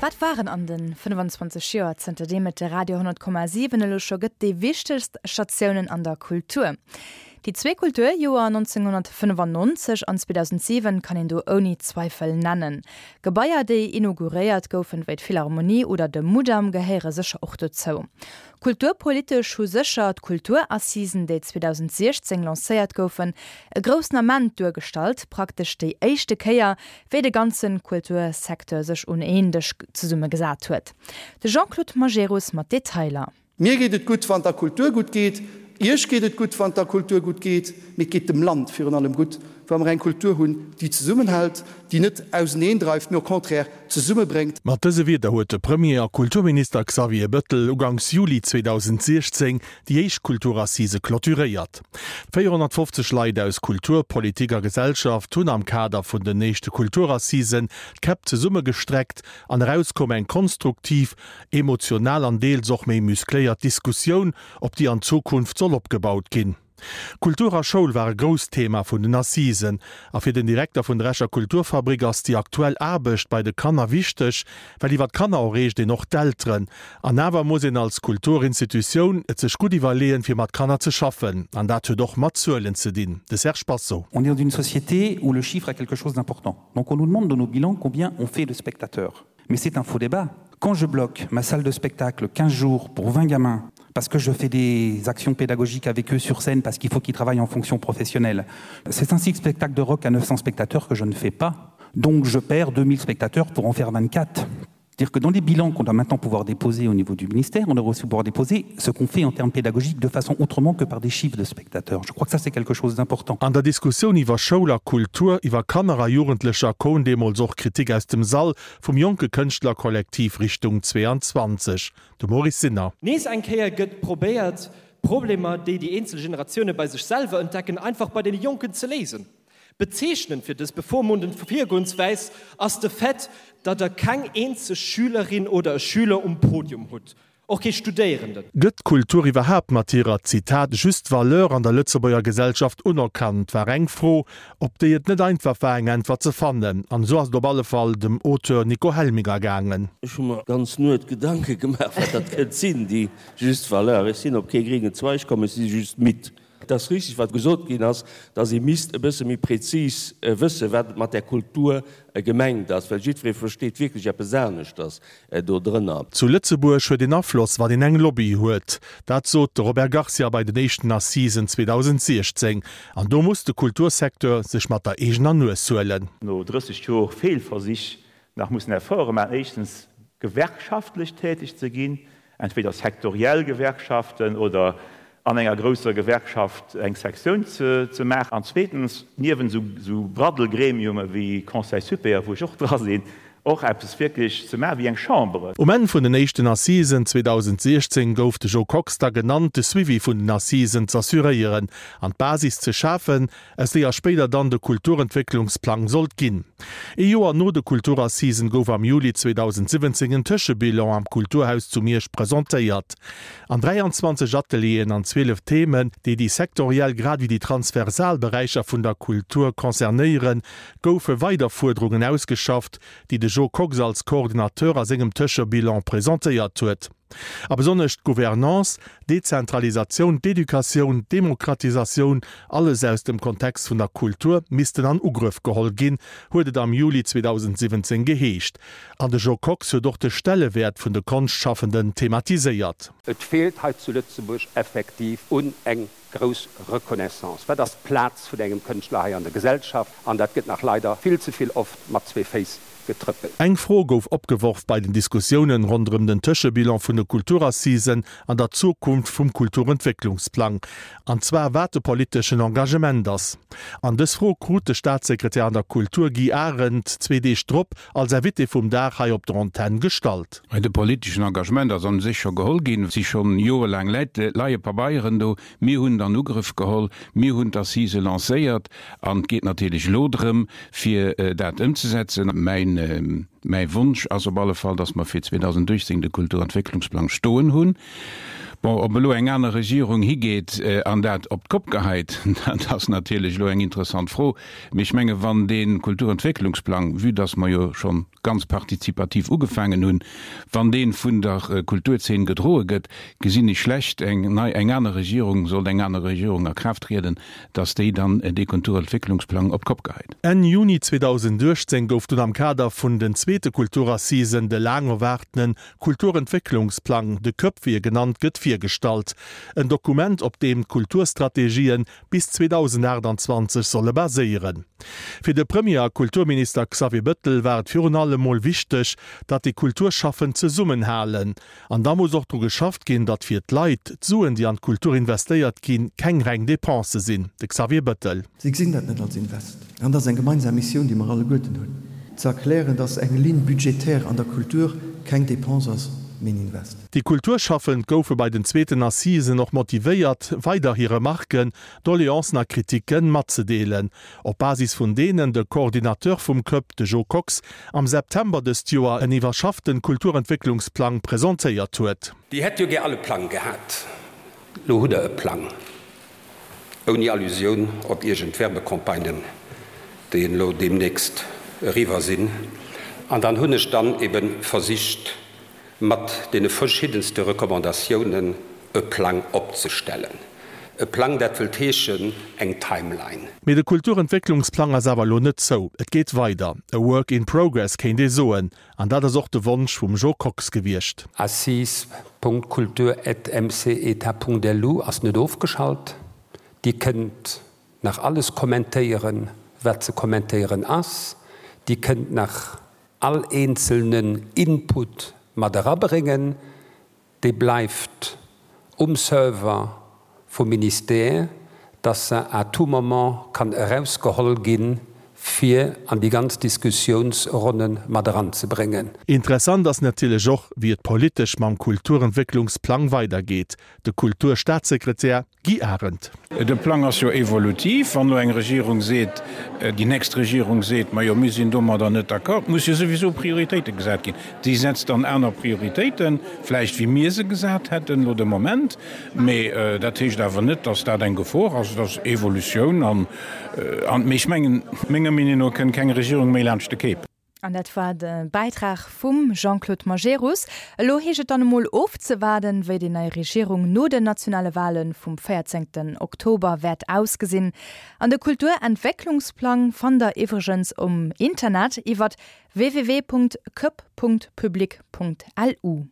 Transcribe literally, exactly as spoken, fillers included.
Wat waren an de fënnfanzwanzeg Joer, zënter deem et de Radio honnert Komma siwen elo scho gëtt, déi wichtegst Statiounen an der Kultur? Déi zwee Kulturjoer nonzénghonnertfënnefannonzeg an zweedausentsiwen kann een do ouni Zweifel nennen. Gebaier, déi inauguréiert goufen, wéi d'Philharmonie oder de Mudam, gehéiere sécher och dozou. Kulturpolitesch hu sécher d'Kulturassisen, déi zweedausendsiechzéng lancéiert goufen, e groussen Ament duergestallt, praktesch déi éischte Kéier, wéi de ganze Kultursecteur sech un een Dësch zesummegesat huet. De Jean-Claude Majerus mat Detailer. Mir geet et gutt, wann der Kultur gutt geet, Iech geet et gutt, wann der Kultur gutt geet, mee et geet dem Land virun allem gutt, wa mer eng Kultur hunn, déi zesummenhält, déi net auseneendreift, mee au contraire zesummebréngt. Mat dëse Wierder huet de Premier a Kulturminister Xavier Bëttel uganks Juli zweedausensiechzéng déi éischt Kulturassise clôturéiert. véierhonnertfofzeg Leit aus Kultur, Politik a Gesellschaft hunn am Kader vun den éischte Kulturassisen d'Käpp zesummegestreckt an eraus koum eng konstruktiv, emotional an deels och méi muscléiert Diskussioun, op déi an Zukunft soll opgebaut ginn. Kultur a Schoul war e grousst Thema vun den Assisen. A fir den Direkter vun der Escher Kulturfabrik ass déi aktuell Aarbecht bei de Kanner wichteg, well iwwer d'Kanner erreecht een och d'Elteren. An awer muss een als Kulturinstitutioun et sech gutt iwwerleeën, fir mat Kanner ze schaffen. An dat huet och mat Zuelen ze dinn. De Serge Basso. On est dans une société où le chiffre est quelque chose d'important. Donc on nous demande dans nos bilans combien on fait de spectateurs. Mais c'est un faux débat. Quand je bloque ma salle de spectacle quinze jours pour vingt gamins, parce que je fais des actions pédagogiques avec eux sur scène, parce qu'il faut qu'ils travaillent en fonction professionnelle, c'est ainsi que spectacle de rock à neuf cents spectateurs que je ne fais pas. Donc je perds deux mille spectateurs pour en faire vingt-quatre. C'est-à-dire que dans les bilans qu'on doit maintenant pouvoir déposer au niveau du ministère, on devrait aussi pouvoir déposer ce qu'on fait en termes pédagogiques de façon autrement que par des chiffres de spectateurs. Je crois que ça, c'est quelque chose d'important. An der Diskussioun iwwer Schoul a Kultur, iwwer Kanner a Jugendlecher koum deemools och Kritik aus dem Sall vum jonke Kënschtlerkollektiv Richtung zweiundzwanzeg, de Maurice Sinner. Nees eng Kéier gëtt probéiert, Problemer, déi déi eenzel Generatioune bei sech selwer entdecken, einfach bei deene Jonken ze léisen. Bezeechnend fir dës bevormundend Virgoenswäis ass de Fait, datt der keng eenzeg Schülerin oder e Schüler um Podium hutt, och kee Studéierenden. Gëtt d'Kultur iwwerhaapt mat hirer, Zitat, juste valeur an der Lëtzebuerger Gesellschaft unerkannt, war eng Fro, op déi et net einfach war, eng Äntwert ze fannen. An esou ass et op alle Fall dem Auteur Nico Helminger gaangen. Ech hu mer d'ganz Nuet Gedanke gemaach, wat dat kënnt sinn, déi juste valeur. Ech sinn op kee gréngen Zweig komm, ech si just midd. Et ass richtig, wat gesot ginn ass, dass ee misst e bësse méi prezis wëssen, wat et mat där Kultur gemengt ass, well jiddweree versteet wierklech eppes aneschters dodrënner. Zu Lëtzebuerg huet een Afloss, wann een eng Lobby huet. Dat sot de Robert Garcia bei den éischten Assisen zweedausensiechzéng. An do muss de Kultursecteur sech mat der eegener Nues huelen. No drësseg Jor Feelversich nach mussen Efforte maachen, éischtens gewerkschaftlech täteg ze ginn, entweder sektoriell Gewerkschaften oder an enger grousser Gewerkschaft eng Sektioun ze maachen, an zweetens, niewent esou Braddelgremiume wéi Conseil supérieur, wou ech och dra sinn, och eppes wierklech ze maachen wéi eng Chambre. Um Enn vun den éischten Assisen zweedausensiechzéng gouf de Jo Kox da genannt, de Suivi vun den Assisen z'assuréieren an d'Basis ze schafen, aus deeër spéider dann de Kulturentwécklungsplang sollt ginn. Ee Joer no de Kulturassisen gouf am Juli zweedausensiwwenzéng en Tëschebilan am Kulturhaus zu Miersch presentéiert. An dräianzwanzeg Atelieren an zwielef Themen, déi déi sektoriell grad ewéi déi transversal Beräicher vun der Kultur concernéieren, goufe weider Fuerderungen ausgeschafft, déi de Jo Kox als Coordinateur a sengem Tëschebilan presentéiert huet. A besonnesch d'Gouvernance, d'Dezentralisatioun, d'Educatioun, d'Demokratisatioun, alles aus dem Kontext vun der Kultur, missten an Ugrëff geholl ginn, huet et am Juli zweedausensiwwenzéng geheescht. An de Jo Kox huet och de Stellewäert vun de Konschtschafenden thematiséiert. Et feelt hei zu Lëtzebuerg effektiv un eng grouss Reconnaissance. Wat ass d'Plaz vun engem Kënschtler hei an der Gesellschaft? An dat gëtt nach leider vill ze vill oft mat zwee Féiss getrëppelt. Eng Fro gouf opgeworf bei den Diskussiounen ronderëm den Tëschebilan vun de Kulturassisen an der Zukunft vum Kulturentwécklungsplang, an zwar wat de politeschen Engagement ass. An dës Fro krut de Staatssekretär an der Kultur Guy Arendt zwee Deeg drop als Invité vum Dag hei op der Antenn gestallt. De politeschen Engagement ass a sech scho geholl ginn. Et si schonn jorelaang Läit, leie Pabeieren do. Mir hunn et an Ugrëff geholl, mir hunn d'Assise lancéiert an et geet natierlech elo drëm, fir dat ëmzesetzen. Mäin, mäi Wonsch ass op alle Fall, dass mer fir zweedausenduechtzéng de Kulturentwécklungsplang stoen hunn. Bon, ob elo eng aner Regierung higeet an dat op d'Kopp geheit, dat ass natierlech elo eng interessant Fro. Mee ech menge wann dee Kulturentwécklungsplang, vue dass mer jo schonn ganz partizipativ ugefaangen hunn, wann dee vun der Kulturzeen gedroe gëtt, gesinn ech schlecht eng nei, eng aner Regierung, sollt eng aner Regierung a Kraaft trieden, dass déi dann dee Kulturentwécklungsplang op d'Kopp geheit. Enn Juni zweedausendachtzéng gouf dunn am Kader vun den zweete Kulturassisen de laang erwaartene Kulturentwécklungsplang, de CÖP wéi e genannt gëtt, virgestallt. En Dokument, op deem d'Kulturstrategien bis zweedausendachtanzwanzeg solle baséieren. Fir de Premier a Kulturminister Xavier Bëttel war et virun allem mol wichteg, datt déi Kulturschaffend zesummenhalen. An da muss och dru geschafft ginn, datt fir d'Leit d'Suen, déi an d'Kultur investéiert ginn, keng reng Depense sinn. De Xavier Bëttel. Si gesinn dat net als Invest. An dat ass eng gemeinsam Missioun, déi mer alleguerten hunn, ze erklären, datt eng Ligne budgétaire an der Kultur keng Dépense ass, mee en Invest. Déi Kulturschaffend goufe bei den zweeten Assisen och motivéiert, weider hir Remarken, Doleancen a Kriticken matzedeelen, op Basis vun deenen de Coordinateur vum CÖP, de Jo Kox, am September dëst Joer en iwwerschafften Kulturentwécklungsplang presentéiert huet. Dir hätt jo gär all e Plang gehat. Lo hutt Der e Plang. Ouni Allusioun op iergend Werbecampagnen, déi elo deemnächst eriwwer sinn. An dann hunn ech dann ebe versicht, mat deene verschiddenste Recommandatiounen e Plang opzestellen. E Plang, dat wëllt heeschen eng Timeline. Mee de Kulturentwécklungsplang ass awer elo net zou. Et geet weider. E Work in progress kéint ee soen. An dat ass och de Wonsch vum Jo Kox gewiescht. Assises punkt kultur at mceta punkt lu ass net ofgeschalt. Dir kënnt nach alles kommentéieren, wat ze kommentéieren ass. Dir kënnt nach all eenzelnen Input mat erabréngen. Dee bleift um Server vum Ministère, dass se à tout moment kann erausgeholl ginn, fir an déi ganz Diskussiounsronne mat eranzebréngen. Interessant ass natierlech och, wéi et politesch mam Kulturentwécklungsplang weidergeet. De Kulturstaatssekretär Guy Arendt. De Plang ass jo evolutiv. Wann elo eng Regierung seet, déi nächst Regierung seet, majo mir sinn domadder net d'accord, muss jo souwisou Prioritéite gesat ginn. Déi setzt dann aner Prioritéiten, vläicht wéi mir se gesat hätten elo de Moment. Mee dat heescht awer net, datt dat eng Gefor ass. Et ass Evolutioun an, mee ech mengen, menger Meenung no kënnt keng Regierung méi laanscht de Cape. An dat war de Bäitrag vum Jean-Claude Majerus. Elo heescht et dann emol ofzewaarden, wéi déi nei Regierung no den nationale Wale vum véierzéngten Oktober wäert ausgesinn. An de Kulturentwécklungsplang fannt der iwwregens um Internet iwwert www punkt cup punkt public punkt lu.